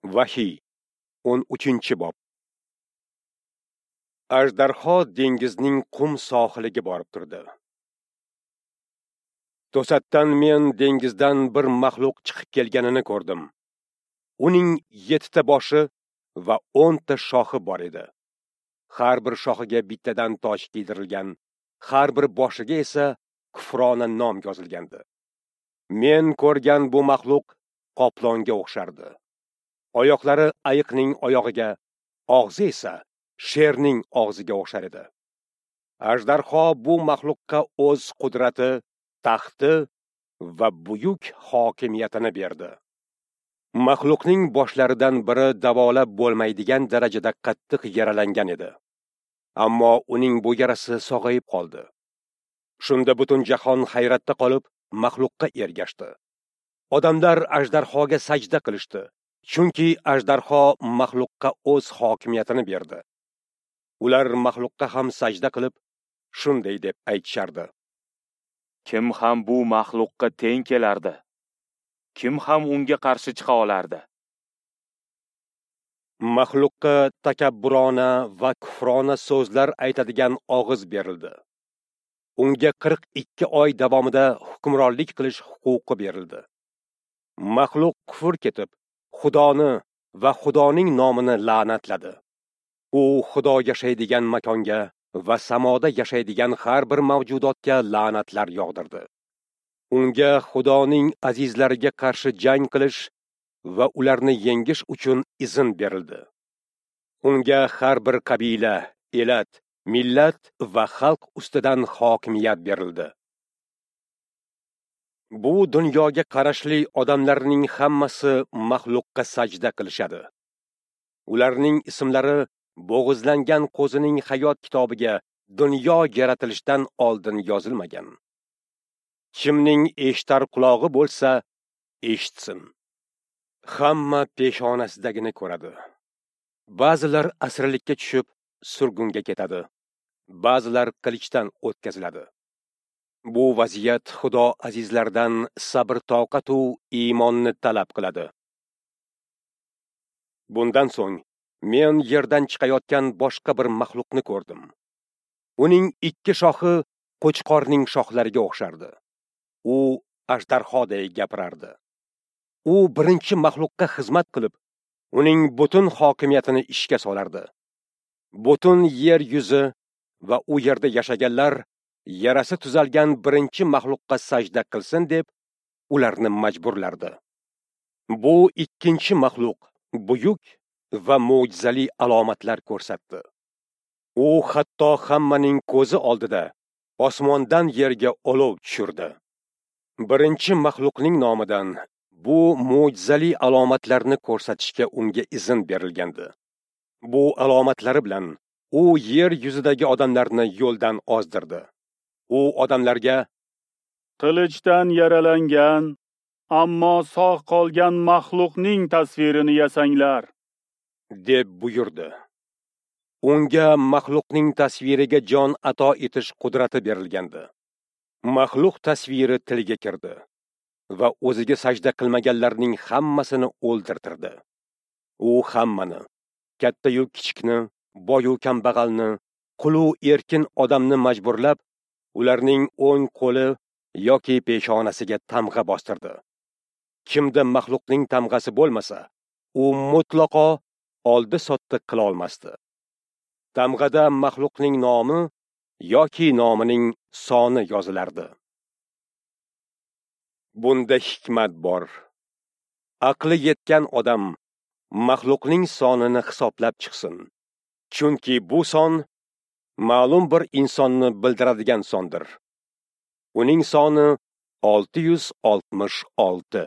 Vahiy 13-bob. Ajdarho dengizning qum sohiliga borib turdi. To'satdan men dengizdan bir maxluq chiqib kelganini ko'rdim. Uning 7 ta boshi va 10 ta shoxi bor edi. Har bir shoxiga bittadan toj kiydirilgan, har bir boshiga esa kufrona nom yozilgandi. Men ko'rgan bu maxluq qoplonga o'xshardi. Oyoqlari ayiqning oyog'iga, og'zi esa sherning og'ziga o'xshar edi. Ajdarho bu maxluqqa o'z qudrati, taxti va buyuk hokimiyatini berdi. Maxluqning boshlaridan biri davolab bo'lmaydigan darajada qattiq yaralangan edi. Ammo uning bu yarasi sog'ayib qoldi. Shunda butun jahon hayratda qolib, maxluqqa ergashdi. Odamlar ajdarhoga sajda qilishdi, chunki ajdarho maxluqqa o'z hokimiyatini berdi. Ular maxluqqa ham sajda qilib, shunday deb aytishardi: Kim ham bu maxluqqa teng kelardi? Kim ham unga qarshi chiqa olardi? Maxluqqa takabburona va kufrona so'zlar aytadigan og'iz berildi. Unga 42 oy davomida hukmronlik qilish huquqi berildi. Maxluq kufr ketib, Xudoni va Xudoning nomini la'natladi. U Xudo yashaydigan makonga va samoda yashaydigan har bir mavjudotga la'natlar yog'dirdi. Unga Xudoning azizlariga qarshi jang qilish va ularni yengish uchun izn berildi. Unga har bir qabila, elat, millat va xalq ustidan hokimiyat berildi. Bu dunyoga qarashli odamlarning hammasi maxluqqa sajda qilishadi. Ularning ismlari bo'g'izlangan qo'zining hayot kitobiga dunyo yaratilishidan oldin yozilmagan. Kimning eshitar qulog'i bo'lsa, eshitsin. Hamma peshonasidagini ko'radi. Ba'zilar asirlikka tushib, surgunga ketadi. Ba'zilar qilichdan o'tkaziladi. Bu vaziyat Xudo azizlardan sabr-toqat u iymonni talab qiladi. Bundan so'ng men yerdan chiqayotgan boshqa bir maxluqni ko'rdim. Uning 2 shoxi qo'chqorning shoxlariga o'xshardi. U ajdarhoday gapirardi. U birinchi maxluqqa xizmat qilib, uning butun hokimiyatini ishga solardi. Butun yer yuzi va u yerda yashaganlar yarasi tuzalgan birinchi maxluqqa sajda qilsin deb ularni majburlardi. Bu ikkinchi maxluq buyuk va mo'jizali alomatlar ko'rsatdi. U hatto hammaning ko'zi oldida osmondan yerga olov tushirdi. Birinchi maxluqning nomidan bu mo'jizali alomatlarni ko'rsatishga unga izn berilgandi. Bu alomatlari bilan u yer yuzidagi odamlarni yo'ldan ozdirdi. U odamlarga: Qilichdan yaralangan, ammo sog' qolgan maxluqning tasvirini yasanglar, deb buyurdi. Unga maxluqning tasviriga jon ato etish qudrati berilgandi. Maxluq tasviri tilga kirdi va o'ziga sajda qilmaganlarning hammasini o'ldirtirdi. U hammani, katta-yu kichikni, boy-u kambag'alni, qul-u erkin odamni majburlab, ularning o'ng qo'li yoki peshonasiga tamg'a bostirdi. Kimda maxluqning tamg'asi bo'lmasa, u mutlaqo oldi-sotdi qila olmasdi. Tamg'ada maxluqning nomi yoki nomining soni yozilardi. Bunda hikmat bor. Aqli yetgan odam maxluqning sonini hisoblab chiqsin. Chunki bu son ma'lum bir insonni bildiradigan sondir. Uning soni 666.